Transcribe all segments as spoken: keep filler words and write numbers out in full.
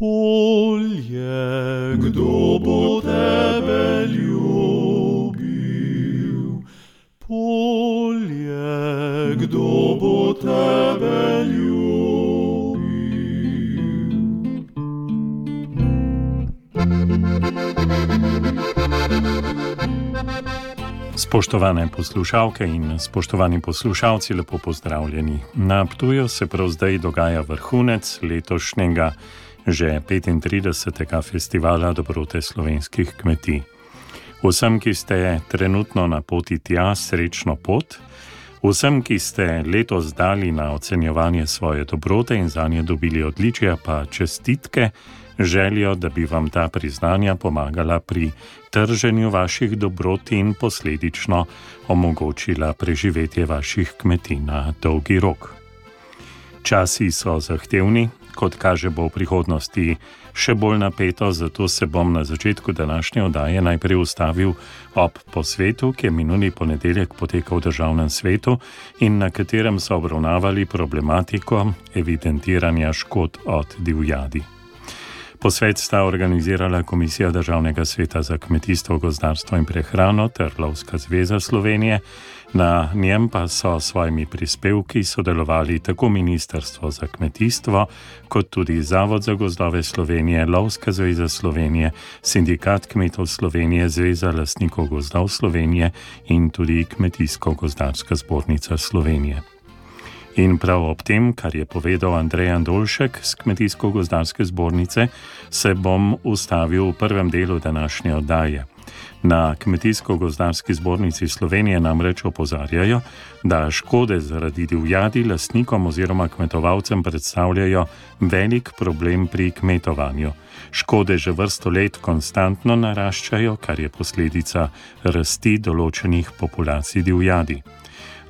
Polje, kdo bo tebe ljubil? Polje, kdo bo tebe ljubil? Spoštovane poslušalke in spoštovani poslušalci, lepo pozdravljeni. Na Ptuju se prav zdaj dogaja vrhunec letošnjega že petintridesetega festivala dobrote slovenskih kmetij. Vsem, ki ste trenutno na poti tja, srečno pot. Vsem, ki ste letos dali na ocenjevanje svoje dobrote in zanje dobili odličja, pa čestitke, željo, da bi vam ta priznanja pomagala pri trženju vaših dobrot in posledično omogočila preživetje vaših kmetij na dolgi rok. Časi so zahtevni, kot kaže bo v prihodnosti še bolj napeto, zato se bom na začetku današnje oddaje najprej ustavil ob posvetu, ki je minuli ponedeljek potekal v Državnem svetu in na katerem so obravnavali problematiko evidentiranja škod od divjadi. Posvet sta organizirala Komisija Državnega sveta za kmetijstvo, gozdarstvo in prehrano ter Lovska zveza Slovenije, na njem pa so s svojimi prispevki sodelovali tako Ministrstvo za kmetijstvo, kot tudi Zavod za gozdove Slovenije, Lovska zveza Slovenije, Sindikat kmetov Slovenije, Zveza lastnikov gozdov Slovenije in tudi Kmetijsko-gozdarska zbornica Slovenije. In prav ob tem, kar je povedal Andrej Andoljšek z Kmetijsko-gozdarske zbornice, se bom ustavil v prvem delu današnje oddaje. Na Kmetijsko-gozdarski zbornici Slovenije namreč opozarjajo, da škode zaradi divjadi lastnikom oziroma kmetovalcem predstavljajo velik problem pri kmetovanju. Škode že vrsto let konstantno naraščajo, kar je posledica rasti določenih populacij divjadi.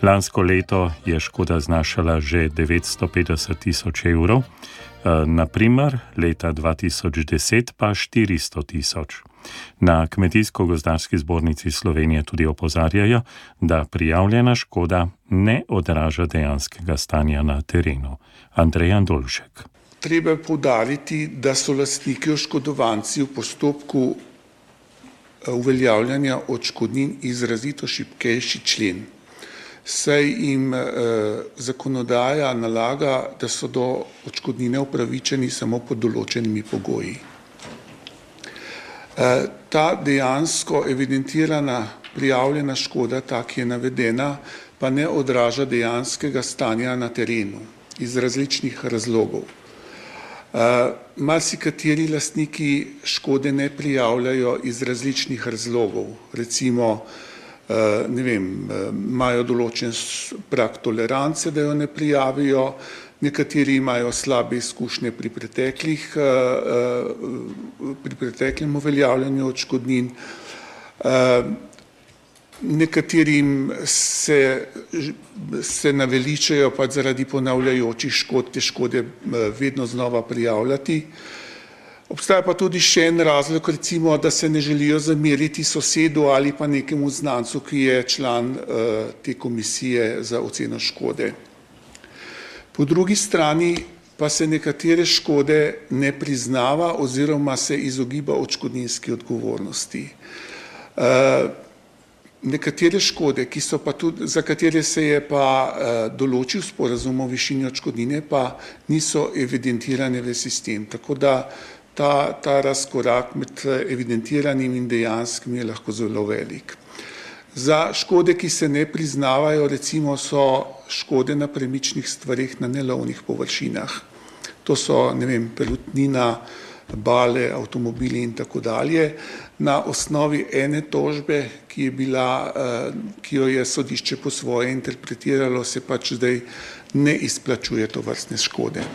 Lansko leto je škoda znašala že devetsto petdeset tisoč evrov, naprimer leta dva tisoč deset pa štiristo tisoč. Na Kmetijsko-gozdarski zbornici Slovenije tudi opozarjajo, da prijavljena škoda ne odraža dejanskega stanja na terenu. Andrej Andoljšek. Treba je poudariti, da so lastniki oškodovanci v postopku uveljavljanja odškodnin izrazito šibkejši člen. Saj jim eh, zakonodaja nalaga, da so do odškodnine upravičeni samo pod določenimi pogoji. Eh, ta dejansko evidentirana prijavljena škoda, ta, ki je navedena, pa ne odraža dejanskega stanja na terenu iz različnih razlogov. Eh, marsikateri lastniki škode ne prijavljajo iz različnih razlogov, recimo ne vem, imajo določen prag tolerance, da jo ne prijavijo, nekateri imajo slabe izkušnje pri preteklih, pri preteklem uveljavljanju odškodnin, nekaterim se, se naveličajo pa zaradi ponavljajočih škod te škode vedno znova prijavljati. Obstaja pa tudi še en razlog, recimo, da se ne želijo zameriti sosedu ali pa nekemu znancu, ki je član uh, te komisije za oceno škode. Po drugi strani pa se nekatere škode ne priznava oziroma se izogiba odškodninski odgovornosti. Uh, nekatere škode, ki so pa tudi, za katere se je pa uh, določil sporazum o višini odškodnine, pa niso evidentirane v sistem. Tako da Ta, ta razkorak med evidentiranim in dejanskim je lahko zelo velik. Za škode, ki se ne priznavajo, recimo so škode na premičnih stvareh na nelovnih površinah. To so, ne vem, pelutnina, bale, avtomobili in tako dalje. Na osnovi ene tožbe, ki je bila, ki jo je sodišče po svoje interpretiralo, se pač zdaj ne izplačuje tovrstne škode.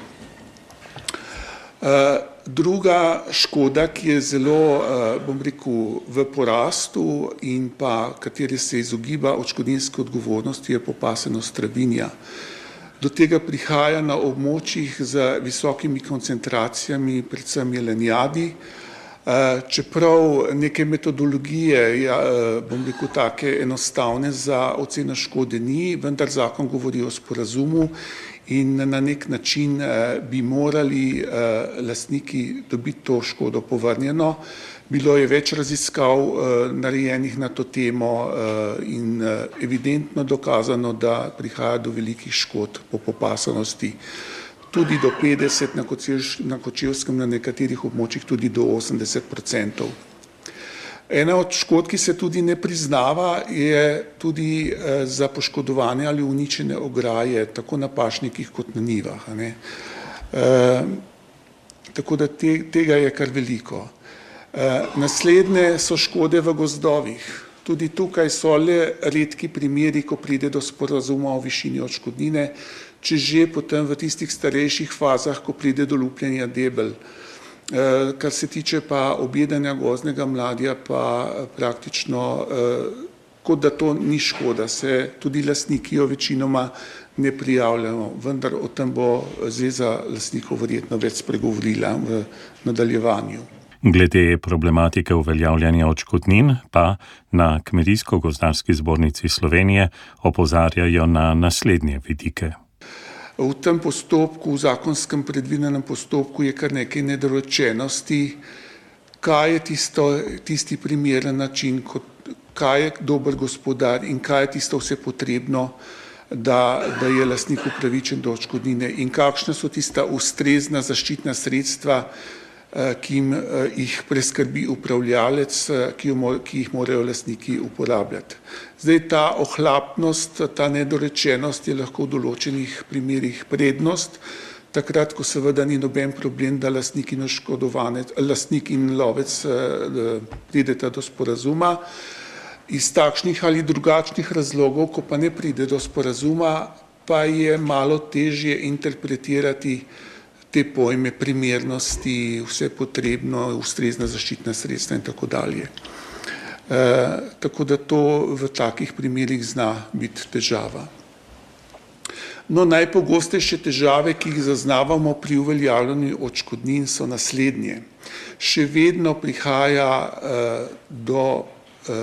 Druga škoda, ki je zelo, bom rekel, v porastu in pa kateri se izogiba odškodninske odgovornosti, je popasenost travinja. Do tega prihaja na območjih z visokimi koncentracijami, predvsem jelenjadi, čeprav neke metodologije, bom rekel, take enostavne za oceno škode ni, vendar zakon govori o sporazumu in na nek način bi morali lastniki dobiti to škodo povrnjeno. Bilo je več raziskav narejenih na to temo in evidentno dokazano, da prihaja do velikih škod po popasanosti. Tudi do petdeset, na Kočevskem, na nekaterih območjih tudi do osemdeset procentov. Ena od škod, ki se tudi ne priznava, je tudi za poškodovanje ali uničene ograje, tako na pašnikih kot na njivah. Ne? E, tako da te, tega je kar veliko. E, naslednje so škode v gozdovih. Tudi tukaj so le redki primeri, ko pride do sporazuma o višini odškodnine, če že potem v tistih starejših fazah, ko pride do lupljenja debel. Kar se tiče pa objedanja gozdnega mladja, pa praktično, kot da to ni škoda, se tudi lastniki jo večinoma ne prijavljajo, vendar o tem bo Zveza lastnikov verjetno več spregovorila v nadaljevanju. Glede problematike uveljavljanja odškodnin pa na Kmetijsko-gozdarski zbornici Slovenije opozarjajo na naslednje vidike. V tem postopku, v zakonskem predvidenem postopku je kar nekaj nedorečenosti, kaj je tisto, tisti primeren način, kot, kaj je dober gospodar in kaj je tisto vse potrebno, da, da je lastnik upravičen do odškodnine in kakšna so tista ustrezna zaščitna sredstva, ki jim jih preskrbi upravljalec, ki, jo, ki jih morajo lastniki uporabljati. Zdaj ta ohlapnost, ta nedorečenost je lahko v določenih primerih prednost, takrat, ko seveda ni noben problem, da lastnik in oškodovanec, lastnik in lovec prideta do sporazuma. Iz takšnih ali drugačnih razlogov, ko pa ne pride do sporazuma, pa je malo težje interpretirati te pojme primernosti, vse potrebno, ustrezna zaščitna sredstva in tako dalje. E, tako da to v takih primerih zna biti težava. No, najpogostejše težave, ki jih zaznavamo pri uveljavljanju odškodnin, so naslednje. Še vedno prihaja e, do, e,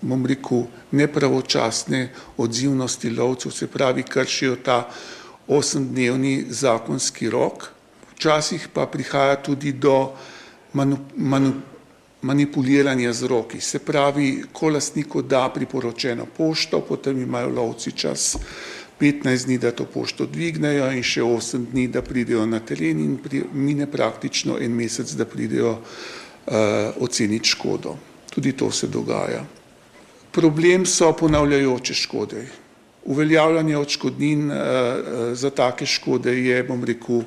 bom rekel, nepravočasne odzivnosti lovcev, se pravi, kršijo ta osemdnevni zakonski rok, včasih pa prihaja tudi do manu, manu, manipuliranja z roki. Se pravi, ko lastniku da priporočeno pošto, potem imajo lovci čas petnajst dni, da to pošto dvignejo in še osem dni, da pridejo na teren in pri, mine praktično en mesec, da pridejo uh, oceniti škodo. Tudi to se dogaja. Problem so ponavljajoče škode. Uveljavljanje odškodnin za take škode je, bom rekel,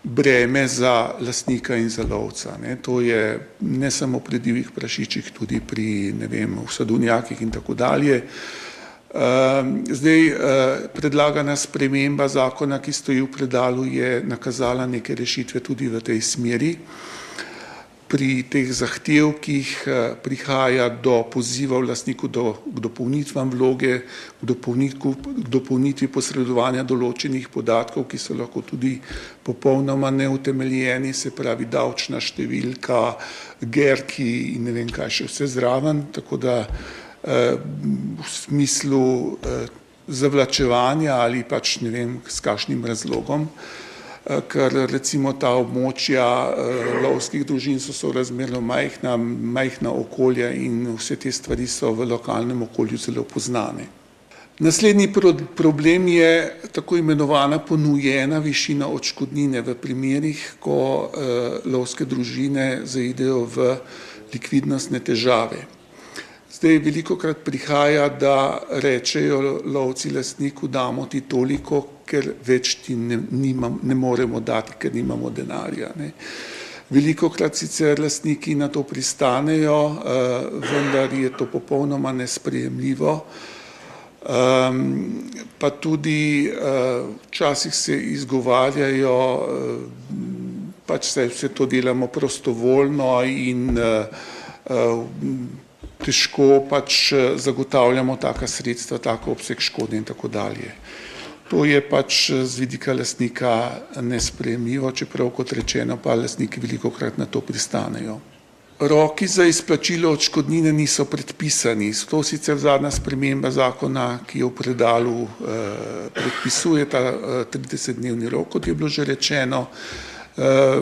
breme za lastnika in za lovca. Ne. To je ne samo pri divjih prašičih, tudi pri, ne vem, v sadovnjakih in tako dalje. Zdaj, predlagana sprememba zakona, ki stoji v predalu, je nakazala neke rešitve tudi v tej smeri. Pri teh zahtevkih prihaja do pozivov lastniku do, k dopolnitvam vloge, k dopolnitvi posredovanja določenih podatkov, ki so lahko tudi popolnoma neutemeljeni, se pravi davčna številka, gerki in ne vem kaj še vse zraven, tako da v smislu zavlačevanja ali pač ne vem s kakšnim razlogom, ker recimo ta območja lovskih družin so sorazmerno majhna, majhna okolja in vse te stvari so v lokalnem okolju zelo poznane. Naslednji problem je tako imenovana ponujena višina odškodnine v primerih, ko lovske družine zaidejo v likvidnostne težave. Zdaj, velikokrat prihaja, da rečejo lovci lastniku, damo ti toliko, ker več ti ne, nimam, ne moremo dati, ker nimamo denarja. Ne. Velikokrat sicer lastniki na to pristanejo, uh, vendar je to popolnoma nesprejemljivo. Um, pa tudi uh, včasih se izgovarjajo, uh, pač se vse to delamo prostovoljno in uh, uh, težko pač zagotavljamo taka sredstva, tako obseg škode in tako dalje. To je pač z vidika lastnika nesprejemljivo, čeprav kot rečeno pa lastniki velikokrat na to pristanejo. Roki za izplačilo odškodnine niso predpisani. To sicer zadnja sprememba zakona, ki je v predalu predpisuje ta tridesetdnevni rok, kot je bilo že rečeno.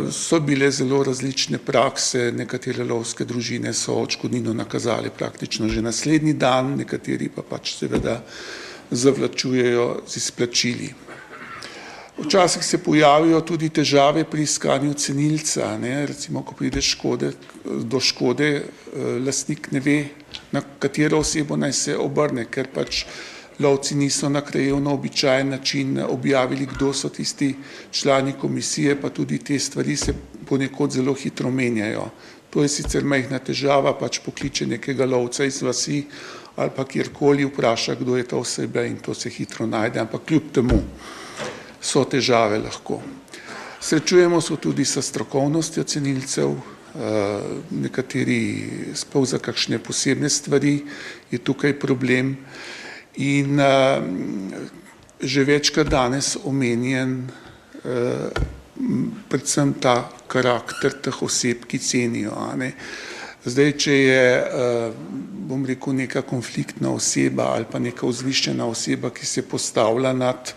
So bile zelo različne prakse, nekatere lovske družine so odškodnino nakazali praktično že naslednji dan, nekateri pa pač seveda zavlačujejo z izplačili. Včasih se pojavijo tudi težave pri iskanju cenilca, ne, recimo, ko pride škode, do škode, lastnik ne ve, na katero osebo naj se obrne, ker pač lovci niso na krajevno običajen način objavili, kdo so tisti člani komisije, pa tudi te stvari se ponekod zelo hitro menjajo. To je sicer majhna težava, pač pokliče nekega lovca iz vasi ali pa kjerkoli vpraša, kdo je ta oseba in to se hitro najde, ampak kljub temu so težave lahko. Srečujemo se tudi s strokovnostjo cenilcev, nekateri sploh za kakšne posebne stvari je tukaj problem in že večkrat danes omenjen predvsem ta karakter teh oseb, ki cenijo. Zdaj, če je, bom rekel, neka konfliktna oseba ali pa neka vzvišena oseba, ki se postavlja nad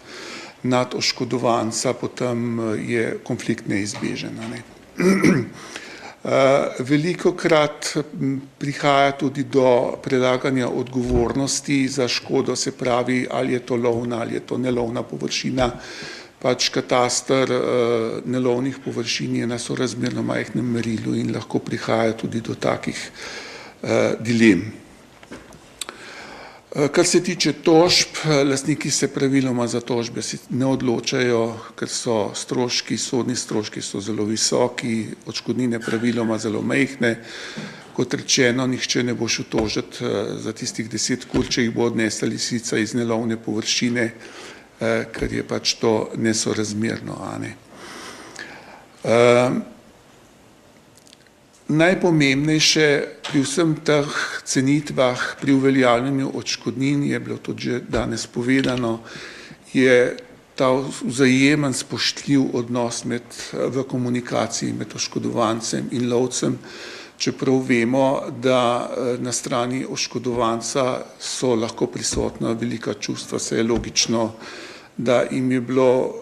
nad oškodovanca, potem je konflikt neizbežen. Ne. Velikokrat prihaja tudi do prelaganja odgovornosti za škodo, se pravi, ali je to lovna ali je to nelovna površina. Pač kataster nelovnih površin je na sorazmerno majhnem merilu in lahko prihaja tudi do takih dilem. Kar se tiče tožb, lastniki se praviloma za tožbe ne odločajo, ker so stroški, sodni stroški so zelo visoki, odškodnine praviloma zelo majhne. Kot rečeno, nihče ne bo šel tožiti za tistih deset kur, če jih bo odnesla lisica iz nelovne površine, ker je pač to nesorazmerno. Ne. Najpomembnejše pri vsem teh cenitvah, pri uveljavljanju odškodnin, je bilo tudi že danes povedano, je ta vzajemen spoštljiv odnos med, v komunikaciji med oškodovancem in lovcem, čeprav vemo, da na strani oškodovanca so lahko prisotna velika čustva, saj je logično, da jim je bilo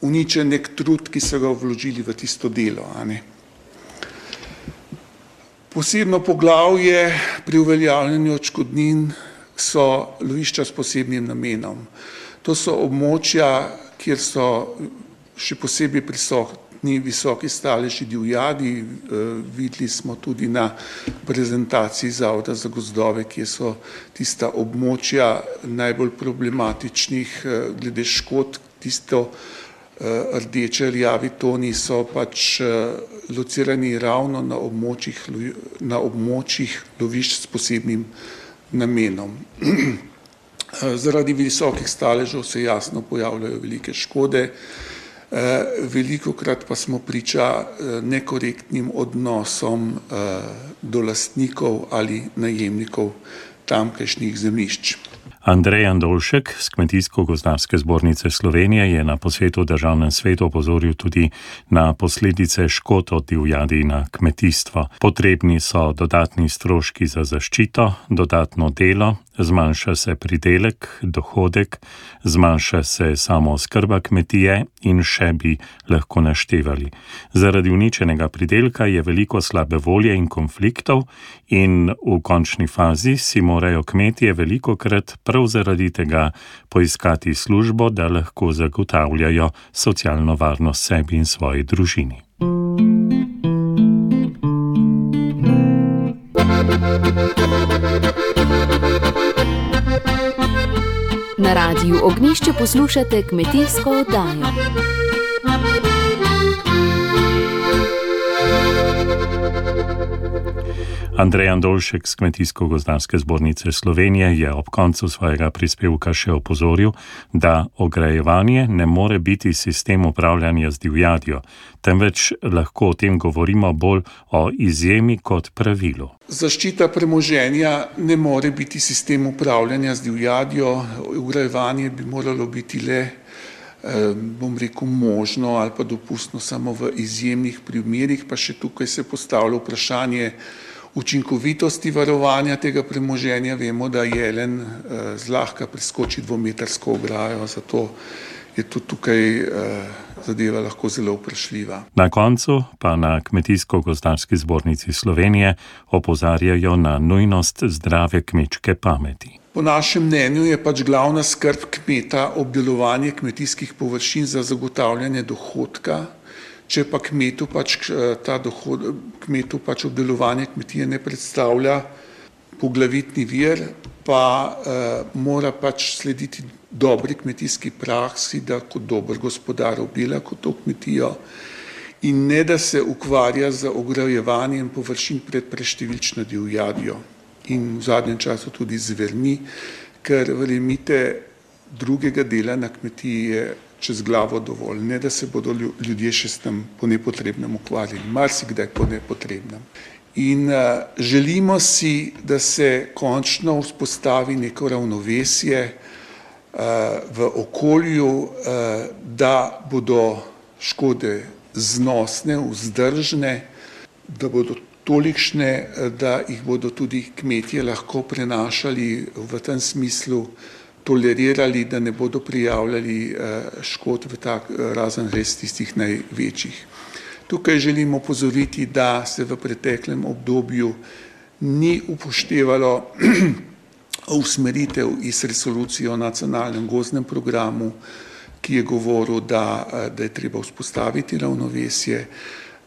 uničen nek trud, ki so ga vložili v tisto delo. A ne. Posebno poglavje pri uveljavljanju odškodnin so lovišča s posebnim namenom. To so območja, kjer so še posebej prisotni visoki staleži divjadi. Videli smo tudi na prezentaciji Zavoda za gozdove, kjer so tista območja najbolj problematičnih glede škod, tisto rdeče, rjavi toni so pač locirani ravno na območjih, na območjih lovišč s posebnim namenom. Zaradi visokih staležev se jasno pojavljajo velike škode, velikokrat pa smo priča nekorektnim odnosom do lastnikov ali najemnikov tamkajšnjih zemljišč. Andrej Andolšek z Kmetijsko-gozdarske zbornice Slovenije je na posvetu v Državnem svetu opozoril tudi na posledice škod od divjadi na kmetijstvo. Potrebni so dodatni stroški za zaščito, dodatno delo, zmanjša se pridelek, dohodek, zmanjša se samooskrba kmetije in še bi lahko naštevali. Zaradi uničenega pridelka je veliko slabe volje in konfliktov in v končni fazi si morajo kmetije velikokrat prav zaradi tega poiskati službo, da lahko zagotavljajo socialno varnost sebi in svoji družini. Na Radiu Ognjišče poslušate kmetijsko oddajo. Andrej Andolšek z Kmetijsko-gozdarske zbornice Slovenije je ob koncu svojega prispevka še opozoril, da ograjevanje ne more biti sistem upravljanja z divjadjo, temveč lahko o tem govorimo bolj o izjemi kot pravilu. Zaščita premoženja ne more biti sistem upravljanja z divjadjo, ograjevanje bi moralo biti le bom rekel, možno ali pa dopustno samo v izjemnih primerih, pa še tukaj se postavlja vprašanje učinkovitosti varovanja tega premoženja. Vemo, da jelen zlahka preskoči dvometrsko ograjo, zato je tudi tukaj zadeva lahko zelo vprašljiva. Na koncu pa na Kmetijsko-gozdarski zbornici Slovenije opozarjajo na nujnost zdrave kmečke pameti. Po našem mnenju je pač glavna skrb kmeta obdelovanje kmetijskih površin za zagotavljanje dohodka. Če pa kmetu pač, ta dohod, kmetu pač obdelovanje kmetije ne predstavlja poglavitni vir, pa eh, mora pač slediti dobri kmetijski praksi, da kot dober gospodar obdela kot to kmetijo in ne da se ukvarja z ograjevanjem površin pred preštevilčno divjadjo in v zadnjem času tudi zvermi, ker verjemite, drugega dela na kmetiji je čez glavo dovolj, ne da se bodo ljudje še s tem po nepotrebnem ukvarjali, marsikdaj po nepotrebnem. In uh, želimo si, da se končno vzpostavi neko ravnovesje uh, v okolju, uh, da bodo škode znosne, vzdržne, da bodo tolikšne, da jih bodo tudi kmetje lahko prenašali v tem smislu, tolerirali, da ne bodo prijavljali uh, škod v tak, razen res tistih največjih. Tukaj želimo opozoriti, da se v preteklem obdobju ni upoštevalo usmeritev iz resolucije o nacionalnem gozdnem programu, ki je govoril, da, da je treba vzpostaviti ravnovesje,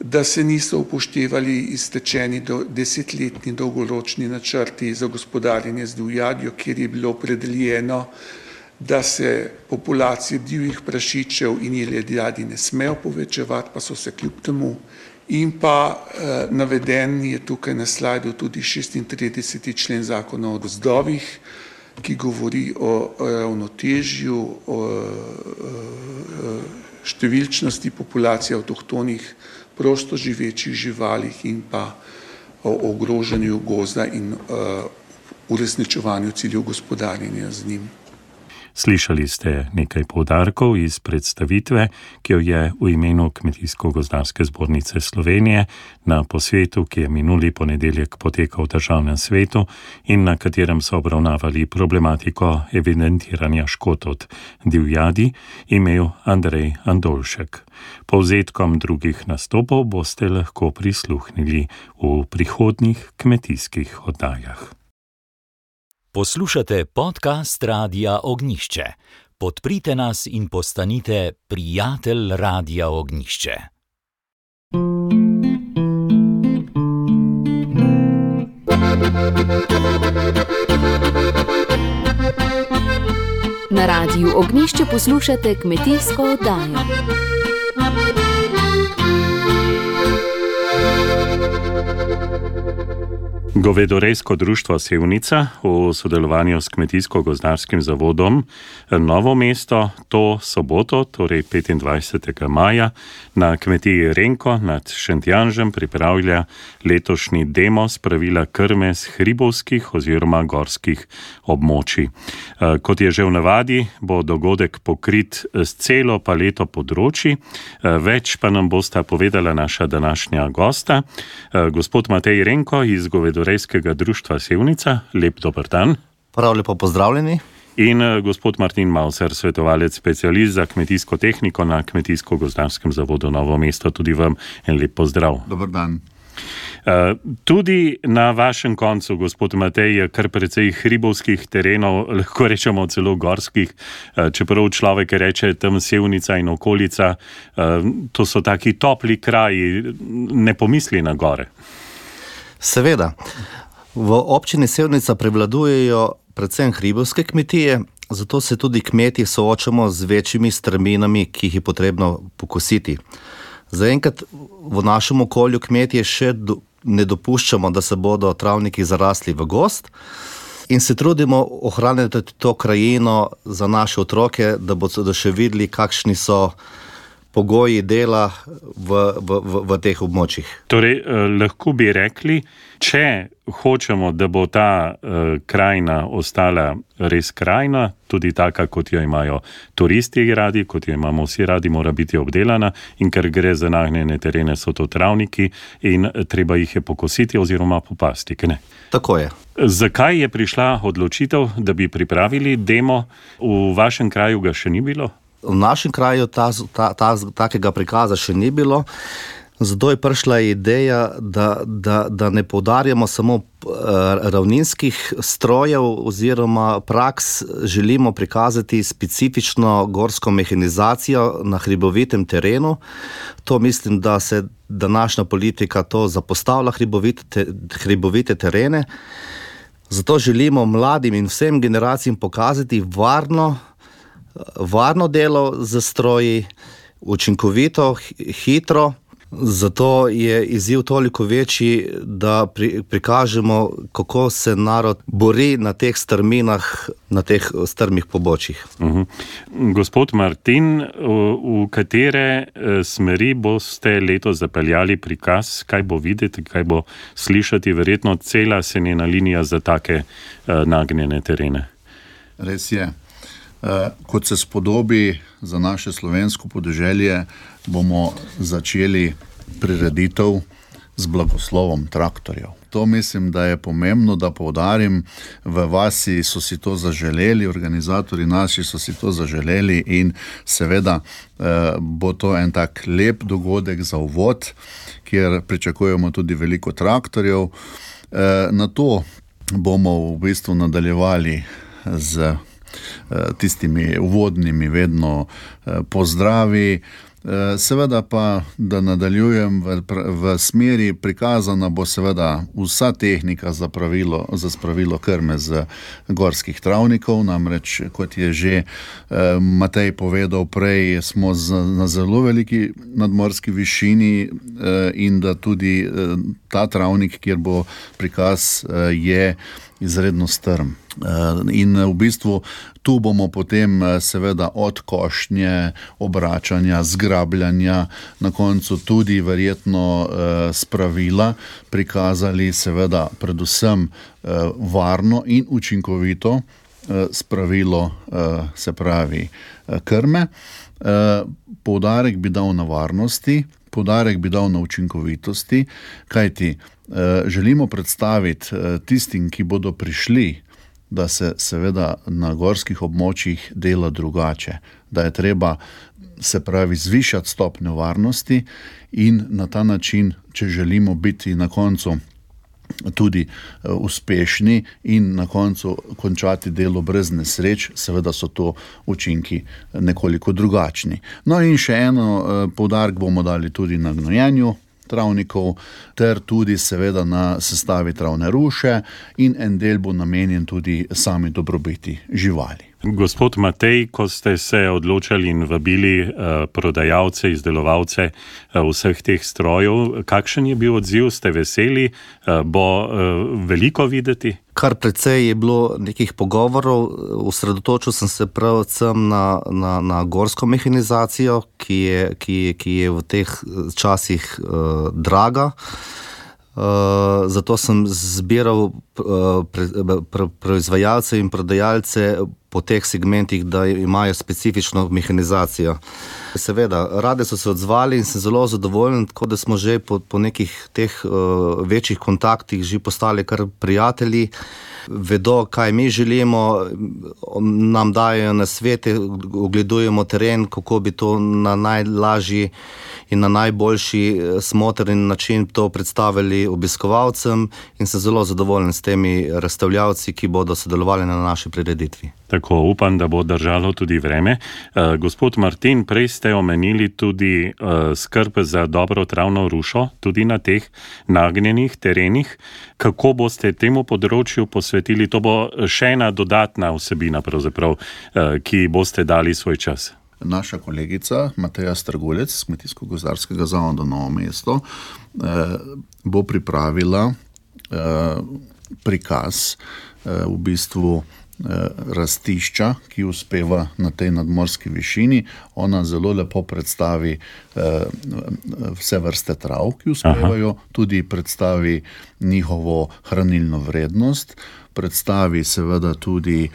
da se niso upoštevali iztečeni do desetletni dolgoročni načrti za gospodarjenje z divjadjo, kjer je bilo opredeljeno, da se populacije divjih prašičev in jeledjadi ne smejo povečevati, pa so se kljub temu. In pa eh, naveden je tukaj na slajdu tudi šestintrideseti člen zakona o gozdovih, ki govori o ravnotežju, o, o številčnosti populacije avtohtonih prosto živečih živalih in pa o ogrožanju gozda in uh, uresničevanju ciljev gospodarjenja z njim. Slišali ste nekaj poudarkov iz predstavitve, ki jo je v imenu Kmetijsko-gozdarske zbornice Slovenije na posvetu, ki je minuli ponedeljek potekal v Državnem svetu in na katerem so obravnavali problematiko evidentiranja škod od divjadi, imel Andrej Andolšek. Povzetkom drugih nastopov boste lahko prisluhnili v prihodnjih kmetijskih oddajah. Poslušate podcast Radia Ognjišče. Podprite nas in postanite prijatelj Radia Ognjišče. Na Radiu Ognjišče poslušate kmetijsko oddajo. Govedorejsko društvo Sevnica v sodelovanju s Kmetijsko-gozdarskim zavodom Novo mesto to soboto, torej petindvajsetega maja, na kmetiji Renko nad Šentjanžem pripravlja letošnji demo spravila krme z hribovskih oziroma gorskih območij. Kot je že v navadi, bo dogodek pokrit s celo paleto področji. Več pa nam bosta povedala naša današnja gosta, gospod Matej Renko iz Govedorejskega društva Sevnica. Lep dober dan. Prav lepo pozdravljeni. In gospod Martin Mauser, svetovalec specialist za kmetijsko tehniko na Kmetijsko-gozdarskem zavodu Novo mesto. Tudi vam en lep pozdrav. Dober dan. Tudi na vašem koncu, gospod Matej, je kar precej hribovskih terenov, lahko rečemo celo gorskih, čeprav človek reče tam Sevnica in okolica, to so taki topli kraji, ne pomisli na gore. Seveda. V občini Sevnica prevladujejo predvsem hribovske kmetije, zato se tudi kmetje soočamo z večjimi strminami, ki jih je potrebno pokositi. Zaenkrat v našem okolju kmetje še do, ne dopuščamo, da se bodo travniki zarasli v gozd in se trudimo ohraniti to krajino za naše otroke, da bodo še videli, kakšni so pogoji dela v, v, v, v teh območjih. Torej, lahko bi rekli, če hočemo, da bo ta uh, krajina ostala res krajina, tudi taka, kot jo imajo turisti radi, kot jo imamo vsi radi, mora biti obdelana, in ker gre za nagnjene terene, so to travniki in treba jih je pokositi oziroma popasti, ne? Tako je. Zakaj je prišla odločitev, da bi pripravili demo? V vašem kraju ga še ni bilo? V našem kraju ta, ta, ta, takega prikaza še ni bilo. Zato je prišla ideja, da, da, da ne poudarjamo samo ravninskih strojev oziroma praks, želimo prikazati specifično gorsko mehanizacijo na hribovitem terenu. To mislim, da se današnja politika to zapostavlja hribovite, hribovite terene. Zato želimo mladim in vsem generacijam pokazati varno, varno delo z stroji, učinkovito, hitro. Zato je izziv toliko večji, da pri, prikažemo, kako se narod bori na teh strminah, na teh strmih pobočjih. Uh-huh. Gospod Martin, v katere smeri boste letos zapeljali prikaz? Kaj bo videti, kaj bo slišati? Verjetno cela senjena linija za take uh, nagnjene terene. Res je. Uh, kot se spodobi za naše slovensko podeželje, bomo začeli prireditev z blagoslovom traktorjev. To mislim, da je pomembno, da poudarim, v vasi so si to zaželeli, organizatorji naši so si to zaželeli in seveda uh, bo to en tak lep dogodek za uvod, kjer pričakujemo tudi veliko traktorjev. Uh, na to bomo v bistvu nadaljevali z tistimi uvodnimi vedno pozdravi. Seveda pa, da nadaljujem v, v smeri, prikazana bo seveda vsa tehnika za, pravilo, za spravilo krme z gorskih travnikov, namreč, kot je že Matej povedal prej, smo z, na zelo veliki nadmorski višini in da tudi ta travnik, kjer bo prikaz, je izredno strm. In v bistvu tu bomo potem seveda od košnje, obračanja, zgrabljanja, na koncu tudi verjetno spravila prikazali seveda predvsem varno in učinkovito spravilo, se pravi krme. Poudarek bi dal na varnosti, poudarek bi dal na učinkovitosti, kajti želimo predstaviti tistim, ki bodo prišli, da se seveda na gorskih območjih dela drugače, da je treba, se pravi, zvišati stopnjo varnosti in na ta način, če želimo biti na koncu tudi uspešni in na koncu končati delo brez nesreč, seveda so to učinki nekoliko drugačni. No in še eno poudarek bomo dali tudi na gnojenju travnikov, ter tudi seveda na sestavi travne ruše in en del bo namenjen tudi sami dobrobiti živali. Gospod Matej, ko ste se odločali in vabili uh, prodajalce, izdelovalce uh, vseh teh strojev, kakšen je bil odziv? Ste veseli? Uh, bo uh, veliko videti? Kar precej je bilo nekih pogovorov, osredotočil sem se predvsem na, na, na gorsko mehanizacijo, ki je, ki, ki je v teh časih uh, draga. Uh, zato sem zbiral uh, pre, pre, proizvajalce in prodajalce po teh segmentih, da imajo specifično mehanizacijo. Seveda, rade so se odzvali in sem zelo zadovoljen, tako da smo že po, po nekih teh uh, večjih kontaktih že postali kar prijatelji, vedo, kaj mi želimo, nam dajo nasvete, ogledujemo teren, kako bi to na najlažji in na najboljši smotrn način to predstavili obiskovalcem in sem zelo zadovoljen s temi razstavljavci, ki bodo sodelovali na naši prireditvi. Tako, upam, da bo držalo tudi vreme. Uh, gospod Martin, prej ste omenili tudi uh, skrb za dobro travno rušo, tudi na teh nagnjenih terenih. Kako boste temu področju posvetili? To bo še ena dodatna vsebina, pravzaprav, uh, ki boste dali svoj čas. Naša kolegica Mateja Strgulec z Kmetijsko-gozdarskega zavoda Novo mesto eh, bo pripravila eh, prikaz eh, v bistvu rastišča, ki uspeva na tej nadmorski višini. Ona zelo lepo predstavi vse vrste trav, ki uspevajo, Aha. tudi predstavi njihovo hranilno vrednost, predstavi seveda tudi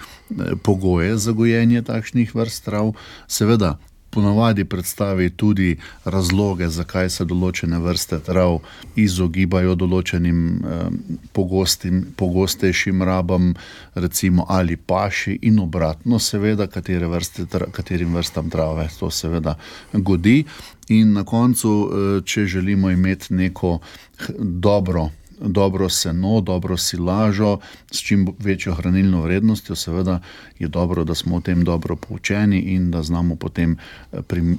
pogoje za gojenje takšnih vrst trav, seveda ponavadi predstavi tudi razloge, zakaj se določene vrste trav izogibajo določenim eh, pogostim, pogostejšim rabam, recimo ali paši in obratno, seveda, katere vrste, katerim vrstam trave to seveda godi. In na koncu, eh, če želimo imeti neko dobro dobro seno, dobro silažo, s čim večjo hranilno vrednostjo, seveda je dobro, da smo o tem dobro poučeni in da znamo potem prim,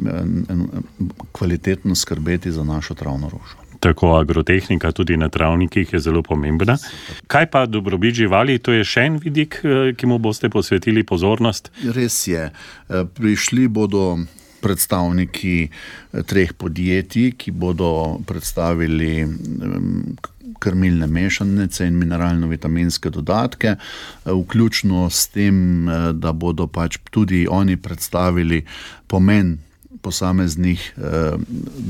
kvalitetno skrbeti za našo travno rožo. Tako agrotehnika tudi na travnikih je zelo pomembna. Kaj pa dobrobit živali? To je še en vidik, ki mu boste posvetili pozornost? Res je. Prišli bodo predstavniki treh podjetij, ki bodo predstavili krmilne mešanice in mineralno-vitaminske dodatke, vključno s tem, da bodo pač tudi oni predstavili pomen posameznih eh,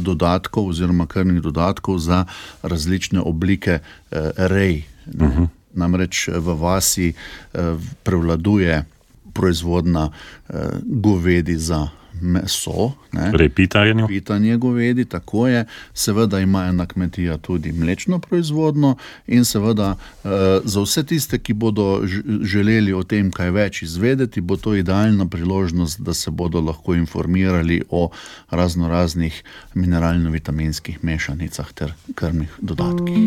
dodatkov oziroma krmnih dodatkov za različne oblike eh, rej. Uh-huh. Namreč v vasi eh, prevladuje proizvodna eh, govedi za meso, torej pitanje. pitanje govedi, tako je. Seveda ima ena kmetija tudi mlečno proizvodno in seveda eh, za vse tiste, ki bodo želeli o tem kaj več izvedeti, bo to idealna priložnost, da se bodo lahko informirali o razno raznih mineralno-vitaminskih mešanicah ter krmnih dodatkih.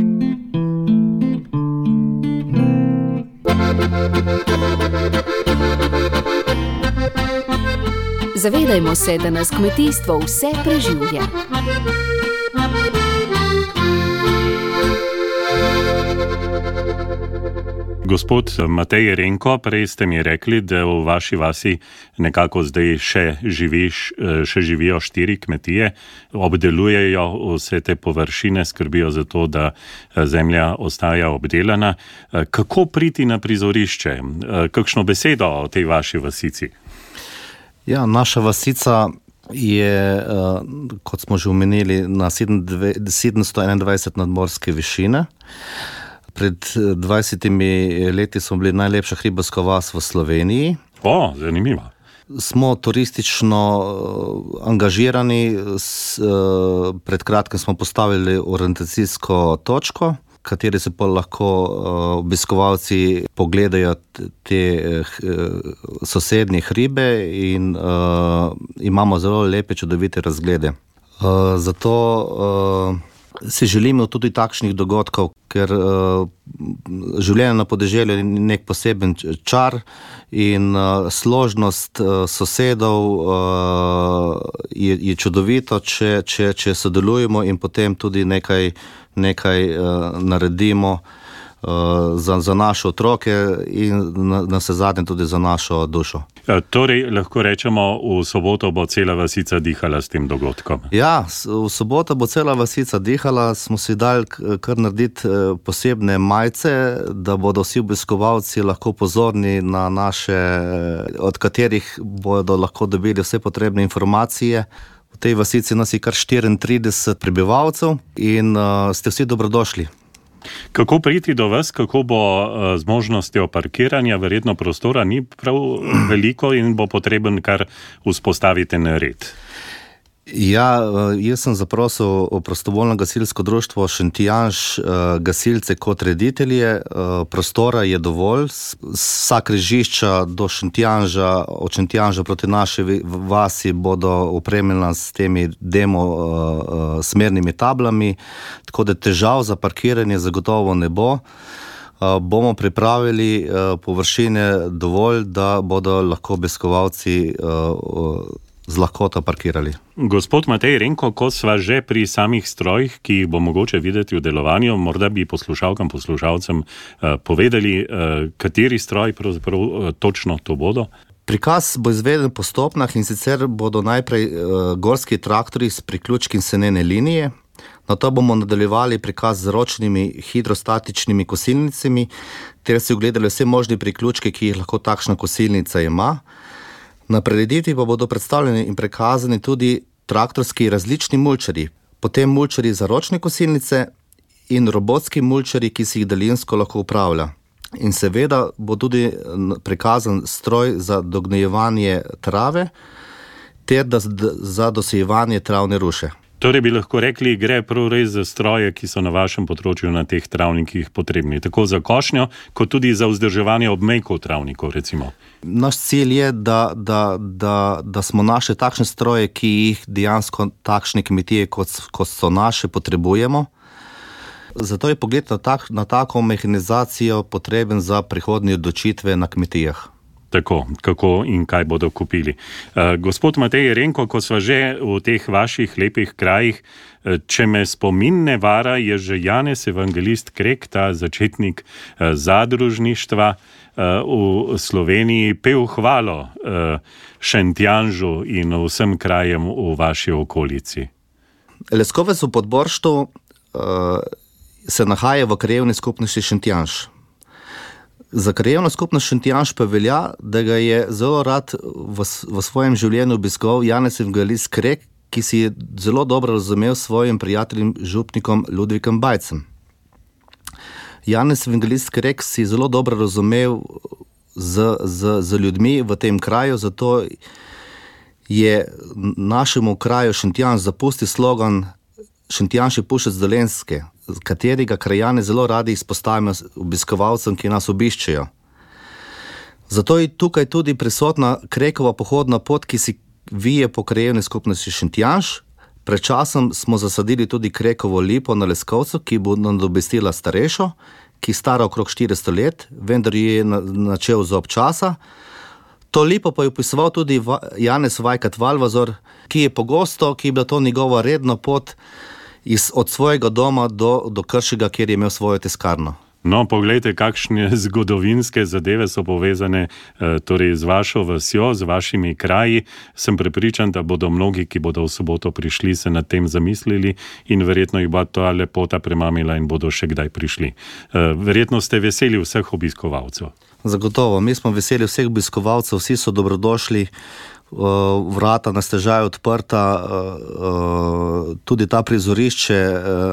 Zavedajmo se, da nas kmetijstvo vse preživlja. Gospod Matej Renko, prej ste mi rekli, da v vaši vasi nekako zdaj še, živiš, še živijo štiri kmetije, obdelujejo vse te površine, skrbijo za to, da zemlja ostaja obdelana. Kako priti na prizorišče? Kakšno besedo o tej vaši vasici? Ja, naša vasica je, kot smo že omenili, na sedemsto enaindvajset nadmorske višine. Pred dvajsetimi leti smo bili najlepša hribovska vas v Sloveniji. O, zanimivo. Smo turistično angažirani, pred kratkim smo postavili orientacijsko točko, kateri se pa lahko obiskovalci pogledajo te sosednje hribe in uh, imamo zelo lepe, čudovite razglede. Uh, zato uh, si želimo tudi takšnih dogodkov, ker uh, življenje na podeželju je nek poseben čar in uh, složnost uh, sosedov uh, je, je čudovito, če, če, če sodelujemo in potem tudi nekaj nekaj uh, naredimo uh, za, za naše otroke in na, na vse zadnje tudi za našo dušo. E, torej, lahko rečemo, v soboto bo cela vasica dihala s tem dogodkom. Ja, v soboto bo cela vasica dihala, smo si dali kar narediti posebne majice, da bodo vsi obiskovalci lahko pozorni na naše, od katerih bodo lahko dobili vse potrebne informacije. V tej vasici nas je kar štiriintrideset prebivalcev in uh, ste vsi dobrodošli. Kako priti do vas, kako bo uh, z možnostjo parkiranja, verjetno prostora ni prav veliko in bo potreben kar vzpostaviti red? Ja, jaz sem zaprosil prostovoljno gasilsko društvo Šentjanž gasilce kot reditelje. Prostora je dovolj, vsa križišča do Šentjanža, od Šentjanža proti naši vasi bodo opremljena s temi demo smernimi tablami, tako da težav za parkiranje zagotovo ne bo. Bomo pripravili površine dovolj, da bodo lahko obiskovalci z lahkoto parkirali. Gospod Matej Renko, ko sva že pri samih strojih, ki jih bo mogoče videti v delovanju, morda bi poslušalkam, poslušalcem uh, povedali, uh, kateri stroj pravzaprav uh, točno to bodo? Prikaz bo izveden po stopnjah in sicer bodo najprej uh, gorski traktori s priključki senene linije, Na to bomo nadaljevali prikaz z ročnimi hidrostatičnimi kosilnicami, ter si ogledali vse možne priključke, ki jih lahko takšna kosilnica ima. Na prireditvi pa bodo predstavljeni in prikazani tudi traktorski različni mulčarji, potem mulčarji za ročne kosilnice in robotski mulčarji, ki si jih daljinsko lahko upravlja. In seveda bo tudi prikazan stroj za dognjevanje trave ter da, za dosejevanje travne ruše. Torej bi lahko rekli, gre prav res za stroje, ki so na vašem področju na teh travnikih potrebni, tako za košnjo, kot tudi za vzdrževanje obmejkov travnikov, recimo. Naš cilj je, da, da, da, da smo našli takšne stroje, ki jih dejansko takšne kmetije, kot, kot so naše, potrebujemo. Zato je pogled na, tak, na tako mehanizacijo potreben za prihodnje odločitve na kmetijah. Tako, kako in kaj bodo kupili. Uh, gospod Matej Renko, ko sva že v teh vaših lepih krajih, uh, če me spomin ne vara, je že Janez Evangelist Krek, ta začetnik uh, zadružništva uh, v Sloveniji, pel hvalo uh, Šentjanžu in vsem krajem v vaši okolici. Leskovec v Podborštu uh, se nahaja v krajevni skupnosti Šentjanž. Za krajevno skupnost Šentjanž pa velja, da ga je zelo rad v, v svojem življenju obiskoval Janez Evangelist Krek, ki si je zelo dobro razumel s svojim prijateljem župnikom Ludvikom Bajcem. Janez Evangelist Krek si zelo dobro razumel z, z, z ljudmi v tem kraju, zato je našemu kraju Šentjanž zapustil slogan Šentjanž je pušec Dolenjske, katerega krajane zelo radi izpostavimo obiskovalcem, ki nas obiščejo. Zato je tukaj tudi prisotna Krekova pohodna pot, ki si vije po krajevni skupnosti Šentjanž. Pred časom smo zasadili tudi Krekovo lipo na Leskovcu, ki bo nadomestila starejšo, ki je stara okrog štiristo let, vendar je načel zob časa. To lipo pa je opisoval tudi Janez Vajkat Valvazor, ki je pogosto, ki je bila to njegova redna pot iz, od svojega doma do, do Kršega, kjer je imel svojo tiskarno. No, poglejte, kakšne zgodovinske zadeve so povezane eh, torej z vašo vasjo, z vašimi kraji. Sem prepričan, da bodo mnogi, ki bodo v soboto prišli, se nad tem zamislili in verjetno jih bo ta lepota premamila in bodo še kdaj prišli. Eh, verjetno ste veseli vseh obiskovalcev. Zagotovo, mi smo veseli vseh obiskovalcev, vsi so dobrodošli, vrata na stežaj odprta, tudi ta prizorišče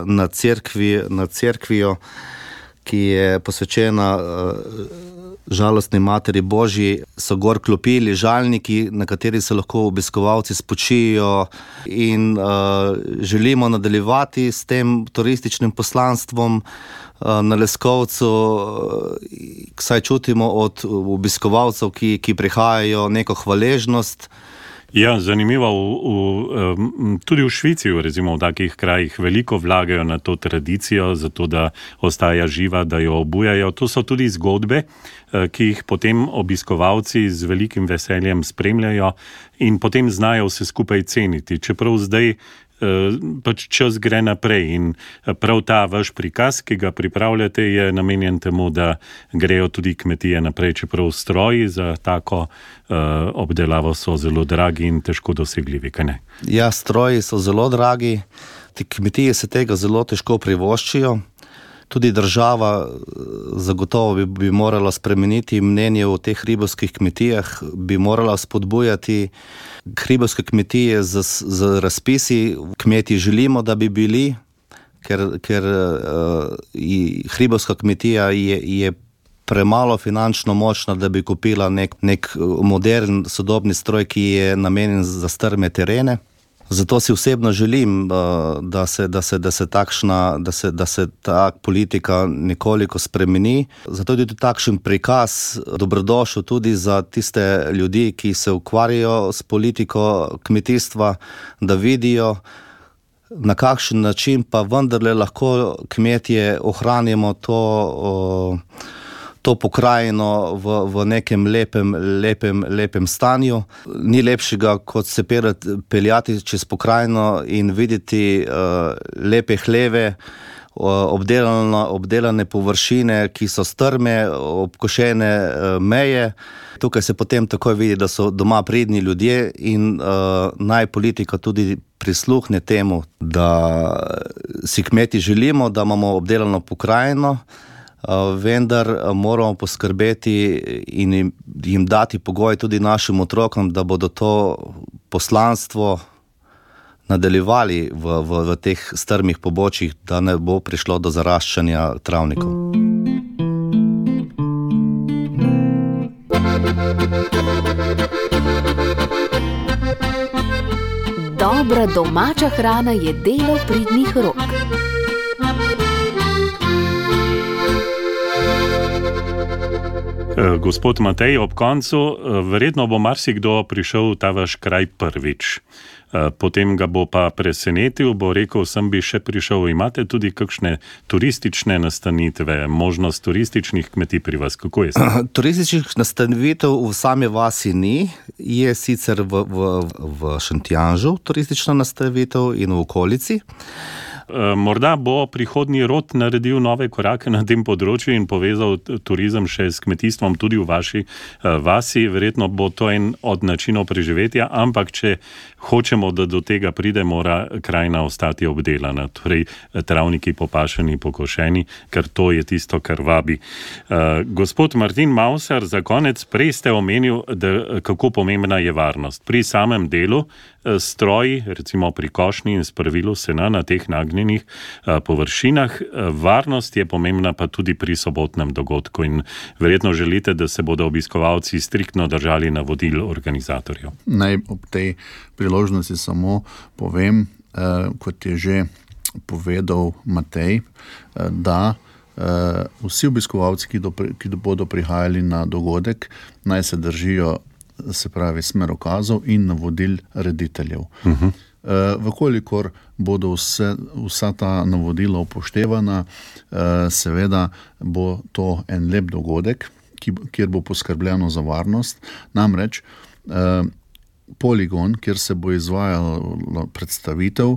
na cerkvi, na cerkvijo, ki je posvečena žalostni Materi Božji, so gor klopili, žalniki, na kateri se lahko obiskovalci spočijo in uh, želimo nadaljevati s tem turističnim poslanstvom uh, na Leskovcu, saj čutimo od obiskovalcev, ki, ki prihajajo, neko hvaležnost. Ja, zanimivo, v, v, tudi v Švici, recimo v takih krajih, veliko vlagajo na to tradicijo, zato da ostaja živa, da jo obujajo. To so tudi zgodbe, ki jih potem obiskovalci z velikim veseljem spremljajo in potem znajo vse skupaj ceniti. Čeprav zdaj pač čas gre naprej in prav ta vaš prikaz, ki ga pripravljate, je namenjen temu, da grejo tudi kmetije naprej, čeprav stroji za tako uh, obdelavo so zelo dragi in težko dosegljivi, kaj ne? Ja, stroji so zelo dragi, ti kmetije se tega zelo težko privoščijo. Tudi država zagotovo bi, bi morala spremeniti mnenje o teh hribovskih kmetijah, bi morala spodbujati hribovske kmetije z, z razpisi. Kmeti želimo, da bi bili, ker, ker uh, hribovska kmetija je, je premalo finančno močna, da bi kupila nek, nek modern, sodobni stroj, ki je namenjen za strme terene. Zato si osebno želim, da se, da se, da se takšna, da se, da se ta politika nekoliko spremeni. Zato je tudi takšen prikaz dobrodošel tudi za tiste ljudi, ki se ukvarjajo s politiko kmetijstva, da vidijo, na kakšen način pa vendarle lahko kmetje ohranimo to, to pokrajino v, v nekem lepem, lepem, lepem stanju. Ni lepšega, kot se peljati čez pokrajino in videti uh, lepe hleve, obdelane, obdelane površine, ki so strme, obkošene meje. Tukaj se potem takoj vidi, da so doma pridni ljudje in uh, naj politika tudi prisluhne temu, da si kmeti želimo, da imamo obdelano pokrajino, vendar moramo poskrbeti in jim, jim dati pogoj tudi našim otrokom, da bodo to poslanstvo nadaljevali v, v, v teh strmih pobočjih, da ne bo prišlo do zaraščanja travnikov. Dobra domača hrana je delo pridnih rok. Gospod Matej, ob koncu, verjetno bo marsikdo prišel v ta vaš kraj prvič. Potem ga bo pa presenetil, bo rekel, sem bi še prišel. Imate tudi kakšne turistične nastanitve, možnost turističnih kmetij pri vas? Kako je? Turističnih nastanitev v sami vasi ni. Je sicer v, v, v Šentjanžu turistična nastanitev in v okolici. Morda bo prihodnji rod naredil nove korake na tem področju in povezal turizem še s kmetijstvom tudi v vaši vasi. Verjetno bo to en od načinov preživetja, ampak če hočemo, da do tega pride, mora krajina ostati obdelana, torej travniki popašeni, pokošeni, ker to je tisto, kar vabi. Gospod Martin Mausar, za konec, prej ste omenil, da kako pomembna je varnost. Pri samem delu stroji, recimo pri košnji in spravilu sena na teh nagnjenih površinah. Varnost je pomembna pa tudi pri sobotnem dogodku in verjetno želite, da se bodo obiskovalci striktno držali navodil organizatorjev. Naj ob tej priložnosti samo povem, kot je že povedal Matej, da vsi obiskovalci, ki, do, ki bodo prihajali na dogodek, naj se držijo, se pravi, smerokazov in navodil rediteljev. Uh-huh. E, vkolikor bodo vse, vsa ta navodila upoštevana, e, seveda bo to en lep dogodek, ki, kjer bo poskrbljeno za varnost. Namreč e, poligon, kjer se bo izvajala predstavitev, e,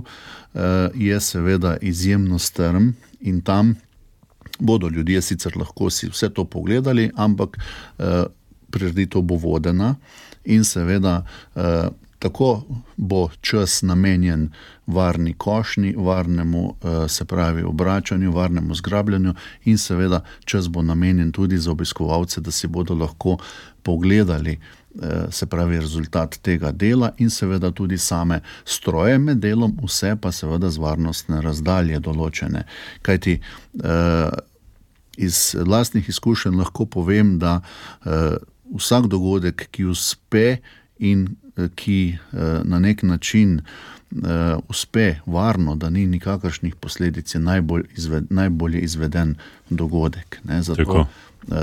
je seveda izjemno strm in tam bodo ljudje sicer lahko si vse to pogledali, ampak e, prireditev bo vodena in seveda eh, tako bo čas namenjen varni košnji, varnemu, eh, se pravi, obračanju, varnemu zgrabljanju in seveda čas bo namenjen tudi za obiskovalce, da si bodo lahko pogledali, eh, se pravi, rezultat tega dela in seveda tudi same stroje med delom, vse pa seveda z varnostne razdalje določene. Kajti eh, iz lastnih izkušenj lahko povem, da eh, vsak dogodek, ki uspe in ki na nek način uspe varno, da ni nikakršnih posledic, je najbolj, izved, najbolje izveden dogodek. Ne? Zato Tako.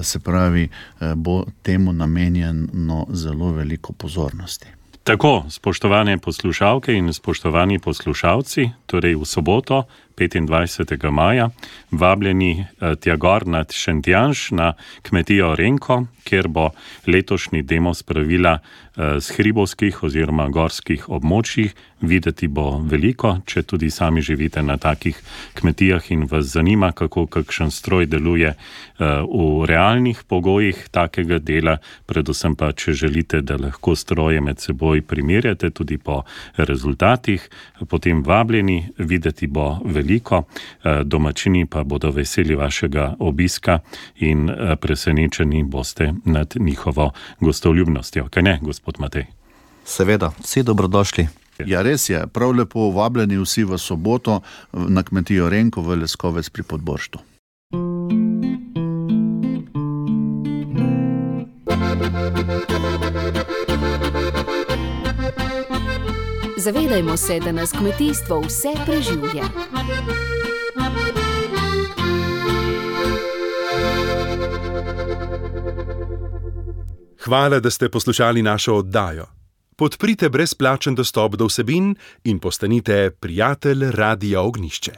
se pravi, bo temu namenjeno zelo veliko pozornosti. Tako, spoštovane poslušalke in spoštovani poslušalci, torej v soboto, petindvajsetega maja, vabljeni tja gor nad Šentjanž na kmetijo Renko, kjer bo letošnji demo spravila z hribovskih oziroma gorskih območjih. Videti bo veliko, če tudi sami živite na takih kmetijah in vas zanima, kako kakšen stroj deluje v realnih pogojih takega dela, predvsem pa, če želite, da lahko stroje med seboj primerjate tudi po rezultatih, potem vabljeni, videti bo veliko, domačini pa bodo veseli vašega obiska in presenečeni boste nad njihovo gostoljubnostjo. Kaj ne, gospod Matej? Seveda, vsi dobrodošli. Ja, res je, prav lepo vabljeni vsi v soboto na kmetijo Renko v Leskovec pri Podborštu. Zavedajmo se, da nas kmetijstvo vse preživlja. Hvala, da ste poslušali našo oddajo. Podprite brezplačen dostop do vsebin in postanite prijatelj Radia Ognjišče.